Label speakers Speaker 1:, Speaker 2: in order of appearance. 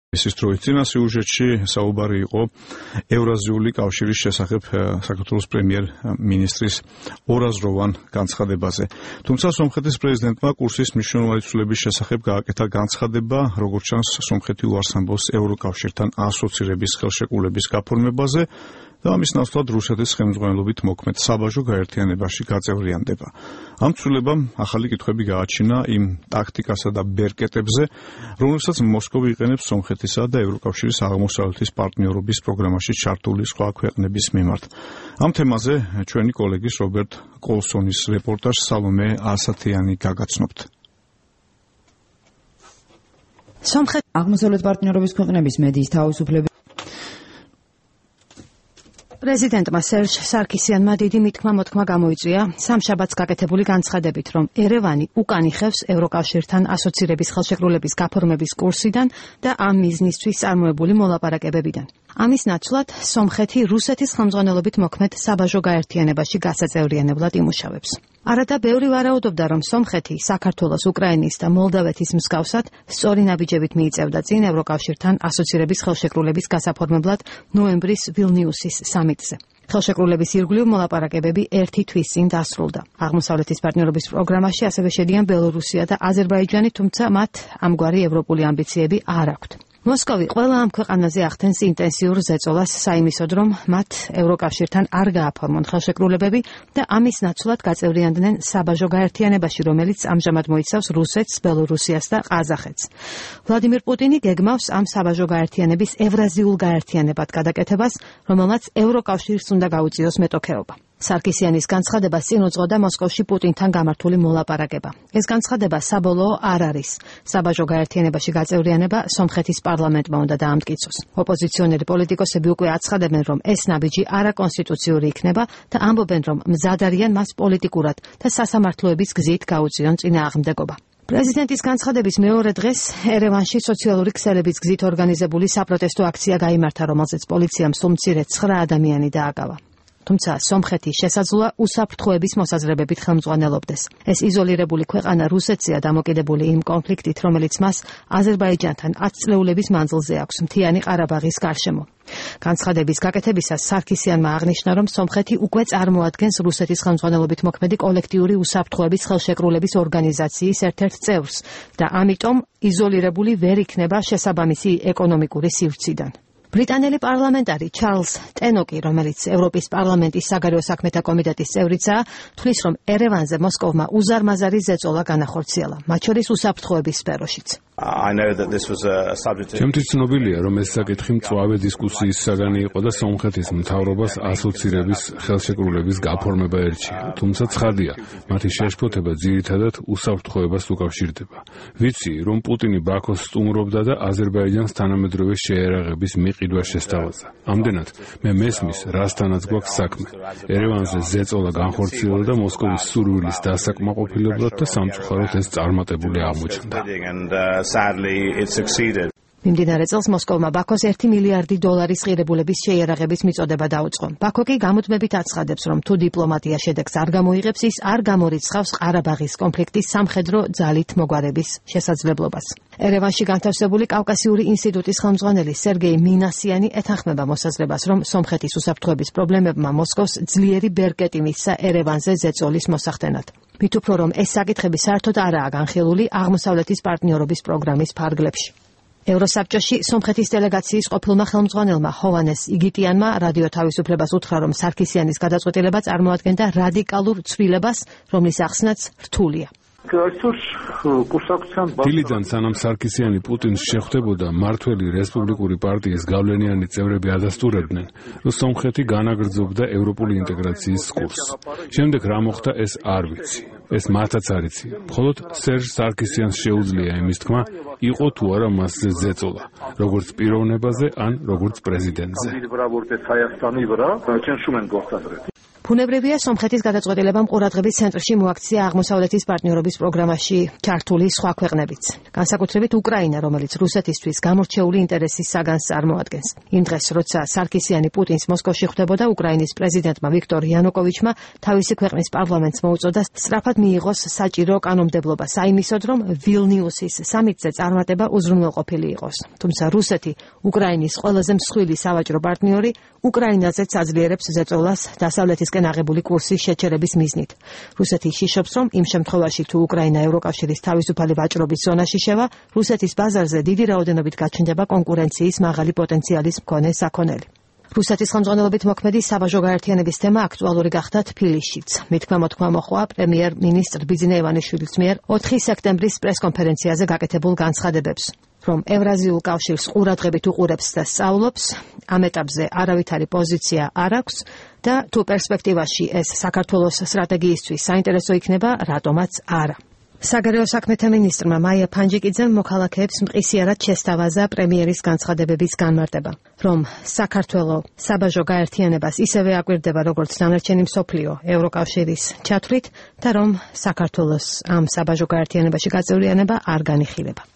Speaker 1: Მისის დროის წინა სიუჟეტში საუბარი იყო ევრაზიული კავშირის შესახებ საქართველოს პრემიერ-მინისტრის ორაზროვან განცხადებაზე. თუმცა სომხეთის პრეზიდენტმა კურსის მნიშვნელოვანი ცვლილების შესახებ გააკეთა განცხადება, როგორც ჩანს, სომხეთი უარს ამბობს ევროკავშირთან ასოცირების ხელშეკრულების გაფორმებაზე და ამის ნაცვლად რუსეთის ხელმძღვანელობით მოქმედ საბაჟო გაერთიანებაში გაწევრიანდება. ამ ცვლილებამ ახალი კითხვები გააჩინა იმ ტაქტიკასა და ბერკეტებზე, რომლებსაც მოსკოვი იყენებს სომხეთისა და ევროკავშირის აღმოსავლეთის პარტნიორობის პროგრამაში ჩართული სხვა ქვეყნების მიმართ. ამ თემაზე ჩვენი კოლეგის რობერტ კოლსონის რეპორტაჟს სალომე ასათიანი გაგაცნობთ.
Speaker 2: სომხეთის აღმოსავლეთ პარტნიორობის ქვეყნების მედიის თავისუფლების პრეზიდენტმა სერჟ სარქისიანმა დიდი მითქმა-მოთქმა გამოიწვია სამშაბათს გაკეთებული განცხადებით, რომ ერევანი უკან იხევს ევროკავშირთან ასოცირების ხელშეკრულების გაფორმების კურსიდან და ამ მიზნისთვის წარმოებული მოლაპარაკებებიდან. ამის ნაცვლად სომხეთი რუსეთის ხელმძღვანელობით მოქმედ საბაჟო გაერთიანებაში გასაწევრიანებლად იმუშავებს. არადა ბევრი ვარაუდობდა, რომ სომხეთი საქართველოს, უკრაინის და მოლდავეთის მსგავსად სწორი ნაბიჯებით მიიწევდა წინ ევროკავშირთან ასოცირების ხელშეკრულების გასაფორმებლად ნოემბრის ვილნიუსის სამიტზე. ხელშეკრულების ირგვლივ მოლაპარაკებები ერთი თვის წინ დასრულდა. აღმოსავლეთის პარტნიორობის პროგრამაში ასევე შედიან ბელორუსია და აზერბაიჯანი, თუმცა მათ ამგვარი ევროპული ამბიციები არ აქვთ. მოსკოვი ყველა ამ ქვეყანაზე ახდენს ინტენსიურ ზეწოლას საიმისოდ, რომ მათ ევროკავშირთან არ გააფორმონ ხელშეკრულებები და ამის ნაცვლად გაწევრიანდნენ საბაჟო გაერთიანებაში, რომელიც ამჟამად მოიცავს რუსეთს, ბელორუსიას და ყაზახეთს. ვლადიმირ პუტინი გეგმავს ამ საბაჟო გაერთიანების ევრაზიულ გაერთიანებად გადაკეთებას, რომელმაც ევროკავშირს უნდა გაუწიოს მეტოქეობა. სარქისიანის განცხადებას წინ უძღოდა მოსკოვში პუტინთან გამართული მოლაპარაკება. ეს განცხადება საბოლოო არ არის. საბაჟო გაერთიანებაში გაწევრიანება სომხეთის პარლამენტმა უნდა დაამტკიცოს. ოპოზიციონერი პოლიტიკოსები უკვე აცხადებენ, რომ ეს ნაბიჯი არაკონსტიტუციური იქნება და ამბობენ, რომ მზად არიან მას პოლიტიკურად და სასამართლოების გზით გაუწიონ წინააღმდეგობა. პრეზიდენტის განცხადების მეორე დღეს ერევანში სოციალური ქსელების გზით ორგანიზებული საპროტესტო აქცია გაიმართა, რომელზეც პოლიციამ სულ მცირე 9 ადამიანი დააგავა. თუმცა სომხეთი შესაძლოა უსაფრთხოების მოსაზრებებით ხელმძღვანელობდეს. ეს იზოლირებული ქვეყანა რუსეთზეა დამოკიდებული იმ კონფლიქტით, რომელიც მას აზერბაიჯანთან 10 წლეულების მანძილზე აქვს მთიანი ყარაბაღის გარშემო. განცხადების გაკეთებისას სარქისიანმა აღნიშნა, რომ სომხეთი უკვე წარმოადგენს რუსეთის ხელმძღვანელობით მოქმედი კოლექტიური უსაფრთხოების ხელშეკრულების ორგანიზაციის ერთ-ერთ წევრს და ამიტომ იზოლირებული ვერ იქნება შესაბამისი ეკონომიკური სივრციდან. ბრიტანელი პარლამენტარი ჩარლზ ტენოკი, რომელიც ევროპის პარლამენტის საგარეო საქმეთა კომიტეტის წევრიცაა, თვლის, რომ ერევანზე მოსკოვმა უზარმაზარი ზეწოლა განახორციელა, მათ შორის უსაფრთხოების სფეროშიც.
Speaker 3: ჩემთვის ცნობილია, რომ ეს საკითხი მწვავე დისკუსიის საგანი იყო და სომხეთის მთავრობას ასოცირების ხელშეკრულების გაფორმება ერჩია. თუმცა ცხადია, მათი შეშფოთება ძირითადად უსაფრთხოებას უკავშირდება. ვიცი, რომ პუტინი ბაქოს სტუმრობდა და აზერბაიჯანს თანამედროვე შეერაღების მიყიდვა შესთავაზა. ამდენად მე მესმის, რასთანაც გვაქვს საქმე. ერევანზე ზეწოლა განხორციელდა და მოსკოვის სურვილის დასაკმაყოფილებლად და სამწუხაროდ ეს წარმატებული აღმოჩნდა.
Speaker 2: მიმდინარე წელს მოსკოვმა ბაქოს 1 მილიარდი დოლარის ღირებულების შეიარაღების მიწოდება დაუწყო. ბაქო კი გამუდმებით აცხადებს, რომ თუ დიპლომატია შედეგს არ გამოიღებს, ის არ გამორიცხავს ყარაბაღის კონფლიქტის სამხედრო ძალით მოგვარების შესაძლებლობას. ერევანში განთავსებული კავკასიური ინსტიტუტის ხელმძღვანელი სერგეი მინასიანი ეთანხმება მოსაზრებას, რომ სომხეთის უსაფრთხოების პრობლემებმა მოსკოვს ძლიერი ბერკეტი მისცა ერევანზე ზეწოლის მოსახდენად. მით უფრო, რომ ეს საკითხები საერთოდ არაა განხილული აღმოსავლეთის პარტნიორობის პროგრამის ფარგლებში. ევროსაბჭოში სომხეთის დელეგაციის ყოფილმა ხელმძღვანელმა ჰოვანეს იგიტიანმა რადიო თავისუფლებას უთხრა, რომ სარქისიანის გადაწყვეტილება წარმოადგენდა რადიკალურ ცვლილებას, რომლის ახსნაც რთულია.
Speaker 3: დილიდან სანამ სარქისიანი პუტინს შეხვდებოდა, მმართველი რესპუბლიკური პარტიის გავლენიანი წევრები ადასტურებდნენ, რომ სომხეთი განაგრძობდა ევროპული ინტეგრაციის კურსს. შემდეგ რა მოხდა, ეს არ ვიცი. ეს მათაც არ იციან. მხოლოდ სერჟ სარქისიანს შეუძლია იმის თქმა, იყო თუ არა მასზე ზეწოლა, როგორც პიროვნებაზე ან როგორც პრეზიდენტზე.
Speaker 2: ბუნებრივია სომხეთის გადაწყვეტილებამ ყურადღების ცენტრში მოაქცია აღმოსავლეთის პარტნიორობის პროგრამაში ჩართული სხვა ქვეყნებიც. განსაკუთრებით უკრაინა, რომელიც რუსეთისთვის გამორჩეული ინტერესის საგანს წარმოადგენს. იმ დღეს, როცა სარკისიანი პუტინს მოსკოვში ხვდებოდა, უკრაინის პრეზიდენტმა ვიქტორ იანუკოვიჩმა თავისი ქვეყნის პარლამენტს მოუწოდა სწრაფად მიიღოს საჭირო კანონმდებლობა საიმისოდ, რომ ვილნიუსის სამიტზე წარმატება უზრუნველყოფილი იყოს. თუმცა რუსეთი, უკრაინის ყველაზე მსხვილი სავაჭრო პარტნიორი, უკრაინაზეც აძლიერებს ზეწოლას დასავლეთისკენ აღებული კურსის შეჩერების მიზნით. რუსეთი იშიშობს, რომ იმ შემთხვევაში, თუ უკრაინა ევროკავშირის თავისუფალი ვაჭრობის ზონაში შევა, რუსეთის ბაზარზე დიდი რაოდენობით გაჩნდება კონკურენციის მაღალი პოტენციალის მქონე საქონელი. რუსეთის ხელმძღვანელობით მოქმედი საბაჟო გაერთიანების თემა აქტუალური გახდა თბილისშიც. მითქმა-მოთქმა მოხდა პრემიერ-მინისტრ ბიძინა ივანიშვილის მიერ 4 სექტემბრის პრესკონფერენციაზე გაკეთებულ განცხადებებს, რომ ევრაზიულ კავშირს ყურადღებით უყურებს და სწავლობს, ამ ეტაპზე არავითარი პოზიცია არ აქვს და თუ პერსპექტივაში ეს საქართველოს სტრატეგიისთვის საინტერესო იქნება, რატომაც არა. საგარეო საქმეთა მინისტრმა მაია ფანჯიკიძემ მოქალაქეებს მყისიარად შესთავაზა პრემიერის განცხადებების განმარტება, რომ საქართველოს საბაჟო გაერთიანებას ისევე აკვირდება, როგორც დანარჩენი მსოფლიო ევროკავშირის ჩათვლით და რომ საქართველოს ამ საბაჟო გაერთიანებაში გაწევრიანება არ განიხილება.